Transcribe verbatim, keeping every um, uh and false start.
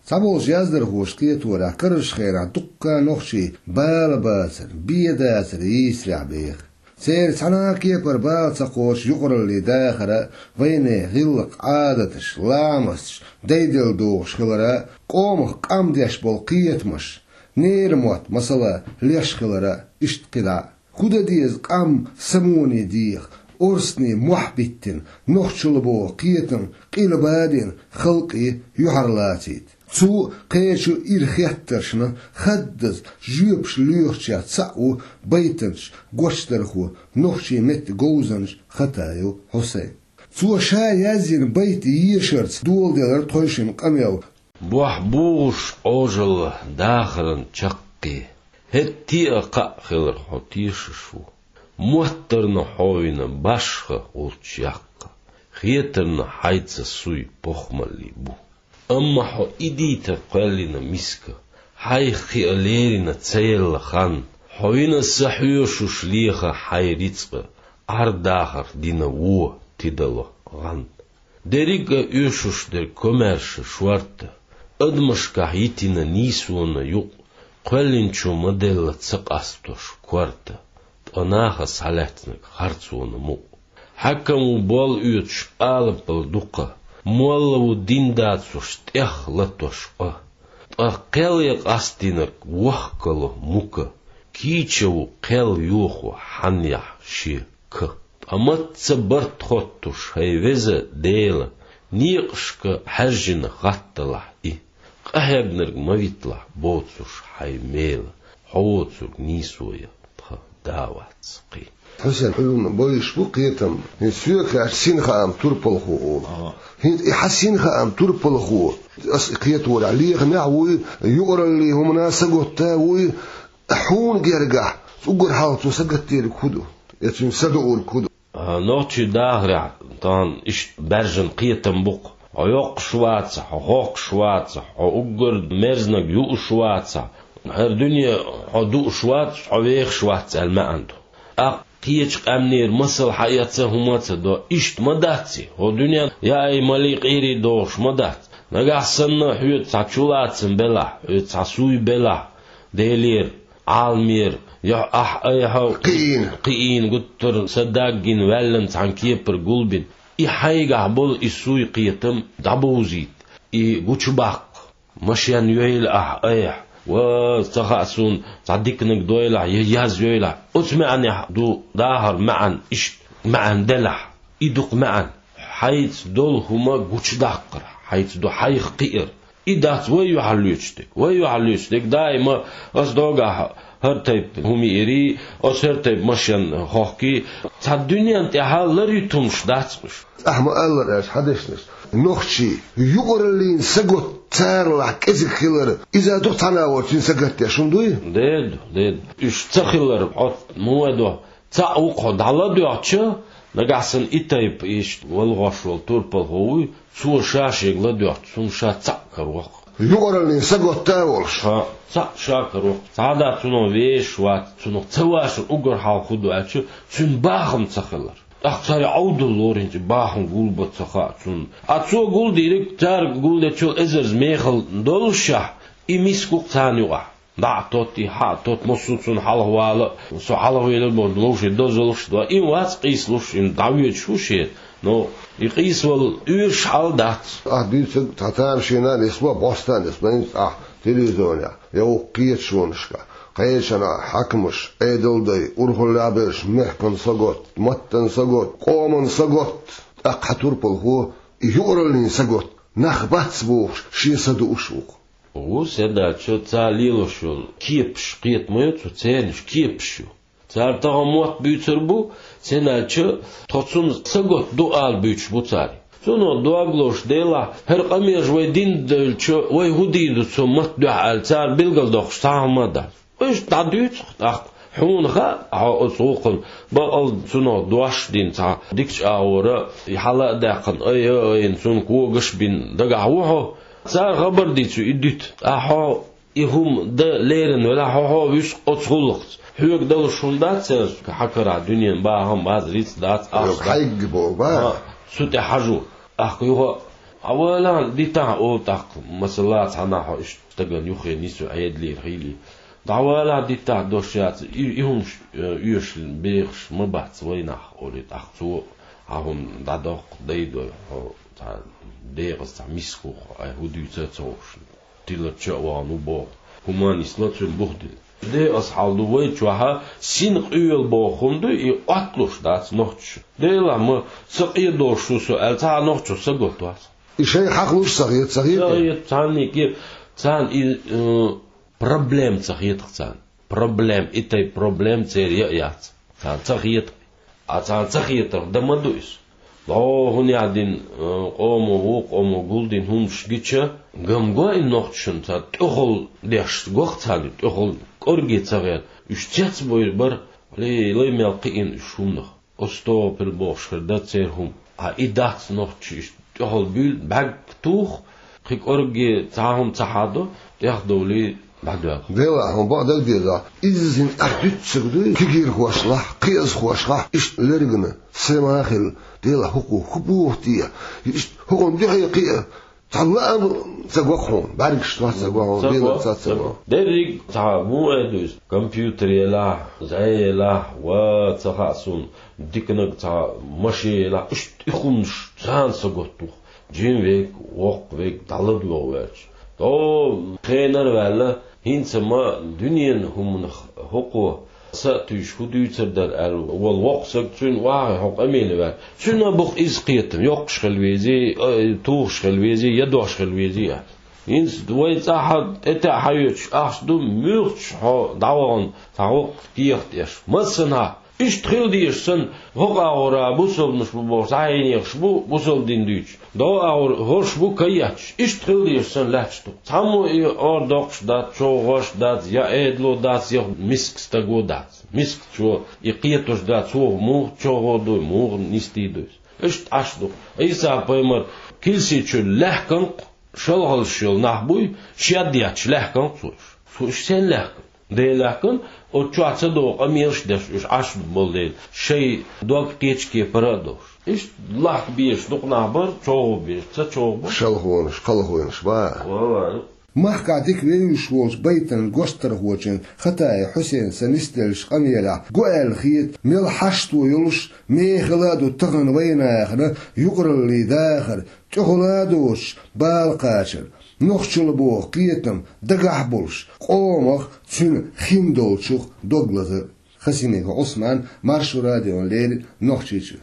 Цхьаболчу яздархоша кхеторехь, карарчу хенахь дуккха нохчий бала бацар, бен дацар йийсарехь беха. Церан цхьана а кепара бала ца кхочу юкъараллин дахар а, вайнехан гӀиллакх-Ӏадаташ, ламасташ дайделла догӀуш хилар а, къомах къам деш болу кхетамаш, ненан мотт, масала, леш хилар а, иштта кхидӀа а. ХӀун дан деза къам самоне деха, орцане мохь биттина, нохчалла боху кхетам къилба а дина, халкъе юьхьарлаца йита. Цу а, кхечу а ира хеттаршна хаддаза жоьпаш лоьхучех цхьаъ ву байтанча, гочдархо, нохчийн меттан говзанча Хатаев Хьусайн. Цо ша язйина байт ешарца доладелира тхойшинна къамел. Бохь богӀуш Ӏожалла дахаран чаккхе, хӀетте а кхаъ хилар хьо тешаш ву. Моттарна хьо вина башха волчу яккха, хетарна хьайца суй похмаллий бу. Амма хьо и дийта кхоьллина миска, хьайх кхиа лерина ца елла хан, хьо вина са хьоьшуш леха хьайн рицкъа, Ӏар-дахар дина вон тидало гӀан. Дерриг а оьшуш дерг комаьрша шорта, адамашкахь йитина нийсонан юкъ, кхоьллинчо ма-делла ца къастош корта, ткъа наха схьалаьцнарг харцонан мукъ. Хьаькам ву болла оьцуш алапал дукха, молла ву дин дацош тӀех латош къа. Ткъа кхел ян къастийнарг вохкало мука, кийча ву кхел йохо хьанъяхь шен ка. Ткъа мацца барт хоттуш, хӀай веза Дела, некъашка хьаьржина хатталахь и, къахьегнарг ма витлахь боцуш хьайн мела, хьо воцург нийсо я, тхан да вац кхин. Хьусен, хьуна бойуш бу кхетам. ХӀинца соьга хаьттича, синхаам турпалхо олу. Ага. ХӀинца и хьан синхаам турпалхо, ас и кхеторехь лехамехь а вуй, юкъараллин хӀуманна сагатта а вуй, хьуна гергахь, уггар хьалха цо сагатдерг хӀун ду? Я цуьнан са дуург хӀун ду? А, нохчийн дахарехь тахана иштта баьржина кхетам бу-кх. Хьо йоккхуш вацахь, хьо хохкуш вацахь, хьо уггар мерзаниг юуш вацахь, хӀара дуьне хьо дууш вац, хьо вехаш вац аьлла маьӀна ду. ТӀаккха кхечу къаьмнера масал хьаэца хӀума а ца до, иштта ма дац и, хӀо дуьненна яай-малий къийрий догӀуш ма дац. Нагахь санна хьоьца цхьа чулацам белахь, хьоьца цхьа суй белахь, Делера, Ӏаламера, я ахь айхьа кхиийна, кхиийна, гуттар а са даггина ваьллан цхьана кепара гулбина, и хьайгахь болу и суй-кхетам дӀабовзийта, и гучубаккха. Машен йойла ахь айхьа, ва, ца хаьа суна, цхьа диканиг дойлахь, я яз йойла ахь. Оцу маьӀнехь ду дахар маьӀна, иштта маьӀна делахь, и ду-кх маьӀна. Хьайца долу хӀума гучудаккхар, хьайца ду хьайх кхиар. И дац вай юьхьарлоьцуш дерг. Вай юьхьарлоьцуш дерг даима ас догахь хӀара тайпа хӀума йиирий, ас хӀара тайпа машен хохкий. Цхьа дуьненна тӀехь ларъюьтумаш дац уьш. Ахьа ма-аллара аьлча хьан дешнаш. Нохчий, юкъараллин сагатта царалахь кӀезиг хилар, иза ду-кх цхьана а волчун сагатдеш хӀума дуй? Деда, деда. Уьш ца хилар хьо ма вай до. Цхьаъ ву-кх хьо дӀаладоьгӀча, нагахь санна и тайпа иштта валгӀош волу турпалхо вуй, цо ша шега ладоьгӀча, цунна ша цхьаъ караваккха. Юкъараллин сагатта а волуш. Ша цхьаъ ша караваккха. Цхьа а дац цунах вешаш вац, цунах ца вашар уггар хьалха хӀун ду аьлча, цуьнан бахам ца хилар. ТӀаккха цара Ӏовдал лору хӀинца бахам гулбан ца хаьа цунна. Ткъа цо гулдийриг, цара гулдечул эзарза мехала доллушехь, и миска ву-кх царна юкъахь. ДӀа а тотта, и хьа а тотта, массо а цунна хьалха вала а, со хьалха велар бохуш, ловше дозаллаш а до. И вац къийсалуш, и дӀавоьдуш ву шен. Но и къийсавала оьшуш хьал дац. Ахь дуьйцург цхьа тамашийна а нисло, бӀоста а нисло, хӀинца ахь телевизорехь, я вукху кхеташонашкахь, кхечанхьа хьаькамаш, Ӏедалдай, урхаллехь берш, мехкан сагатта, маттан сагатта, къоман сагатта, тӀаккха хьан турпалхо, и юкъараллин сагатта, нах бац бохуш, шен са дууш ву-кх. Ву, сен аьлча, цара лелош йолу кепаш, кхета ма ю цо, церан уьш кепаш ю. Цара тахана мотт буьйцур бу, сен аьлча, тхо цунна сагатта ду ала буьйцуш бу цара. Цунах дог лозуш делахь, хӀара къамелаш вай дина девлча, вай хӀун дийр ду цо мотт дуьхьа аьлла, цара билгалдоккхуш цхьа а хӀума а дац. Уьш дӀадуьйцу-кх тӀаккха. Хьуна хаьа, хьо оцу гӀуллакхана баккъал цунах дош а дина, цхьа дикачу агӀора и хьала а даьккхина, айа а айина, цунна когаш а бина, дагахь ву хьо. Цара хабар дийцу и дуьту. Ткъа хьо и хӀума дан лерина велахь, хьо, хьо вуьсу оцу гӀуллакхца. Хьоьга далуш хӀума дац церан, хьан карахь дуьненан бахам бац, рицкъ дац, ахча дац. Хьайга боху, ба? Ха, цу тӀе хьажо. ТӀаккха юха а Хьавалахь, дитахь олу тӀаккха, масала, цхьанахь хьо иштта стагана юххе нисве Ӏедалера хилий. ДӀавалахь, дитахь дош яц, и, и хӀумаш, э, оьшуш бехаш ма бац вайнахь, олий тӀаккха цо, хьан хӀума дӀадоккху, дайдой хьо цхьа декъаза цхьа миска хӀух, ай хӀун дуьйцу а ца хууш. Тилар ча а вахана ву боху. ХӀуманна йисна цуьнан бух дилла. Декъаза хьал ду вай чохь а, син къоьлла боху хӀума ду, и Ӏотталуш дац нохчаша. Делахь ма, ца къедолуш ву со аьлла, цхьа а нохчо са готвац. И шайга хьакхалуш ца хета, ца хета? Ца хета, царна и ке-, царна и, э, проблема ца хетах царна. Проблема, и тайпа проблема церан я а яц. Царна ца хета. А царна ца хетарх дан ма ду иза. ДӀо хӀун яздина, э, къомо вукху къомо гулдина хӀумаш гича, гам го и нохчашна, царна тӀехула деш го-кх царна, тӀехула кӀорге ца гӀерта. Уьш цецбуьйлуш бара, лай, лай мел кхиъна уьш хӀуманах. ОстагӀфирулла бохуш хир дара церан хӀума. Ткъа и дац нохчаша иштта тӀехула буьйлу, бӀаьрг туху, кхин кӀорге цхьа хӀума ца хьадо, тӀехдовлий дӀадоьлху. Делахь, хьуна бакъдерг дезахь, иззина ахь дуьццург дуй, кегийрхошлахь, кхиазхошлахь, иштта лергана, сема а хилла, делахь, хӀокхо хӀун боху те, иштта хӀокхунна дуьхьал кхиа, цхьа лаам ца го-кх хьуна, бӀаьргаш тох ца го хьуна, ца го, дийна ца, ца ца го. Го. Дерриг цхьа муха эр ду иза, компьютер елахь, зӀе елахь, ва ца хаьа суна, диканиг цхьа машен елахь, иштта и хӀуманаш царна са готта ву-кх. Жима верг, воккха верг дӀаладогӀа ваьлча. ДӀо хенара ваьлла, хӀинца ма дуьненан хӀуманах хӀокхо са а туьйсуш хӀун дуьйцур дара аьлла волу воккха саг, цуьнан охьахиъна хьо къамеле ваьлча. Цуьнан а бу-кх иза кхетам, йоккхуш хила везий, а, тухуш хила везий, я дош хила везий аьлла. ХӀинца вай цӀахь а тӀетаьӀа хьаоьцуш ахча ду, муьлххачу хьо дӀавахана цхьа воккха кехат эш. Массанхьа Иштта хила дезаш санна, хӀокху агӀора бусалбанаш бу бохуш, цхьа хьенехаш бу бусалба дин дуьйцуш. ДӀо агӀор хӀорш бу каетташ. Иштта хила дезаш санна лаьтташ ду. Цхьаммо и ор доккхуш дац, чӀогӀа гӀош дац, я Ӏедало дац, я миска стаго дац. Мискачо и кхетош дац, цо муха чӀогӀа дуй, муха нисдийр дуй. Иштта Ӏаш ду. Ӏийса-пайхамар килси чуьра лаьхкина-кх шалхаллаш йолу нах буй, шед етташ лаьхкина-кх цо уьш. Цо уьш сенна лаьхкина? Дела лаьхкина, оцу чохь ца догӀу къамелаш деш уьш Ӏаш болу дела, шайн дог кхечу кепара а долуш. Иштта лахка безаш дукха нах бара, чӀогӀа безаш, ца чӀогӀа бара. Шалхонаш, кхалхонаш бара. Валлахьи. Махкахь дика вевзаш волчу байтанан гочдархочун Хатаев Хьусейнан са нисделлачу къамелехь го аьлла хета, мел хьашто йолуш мехала а ду тахана вайнахана юкъараллин дахар, тӀехула а доцуш бала кхачар, нохчалла боху кхетам дагахь а болуш, къомах, цуьнан хин долчух дог лазар. Хасимиков Ӏусман, Маршо радиона леррина, Нохчийчуьра.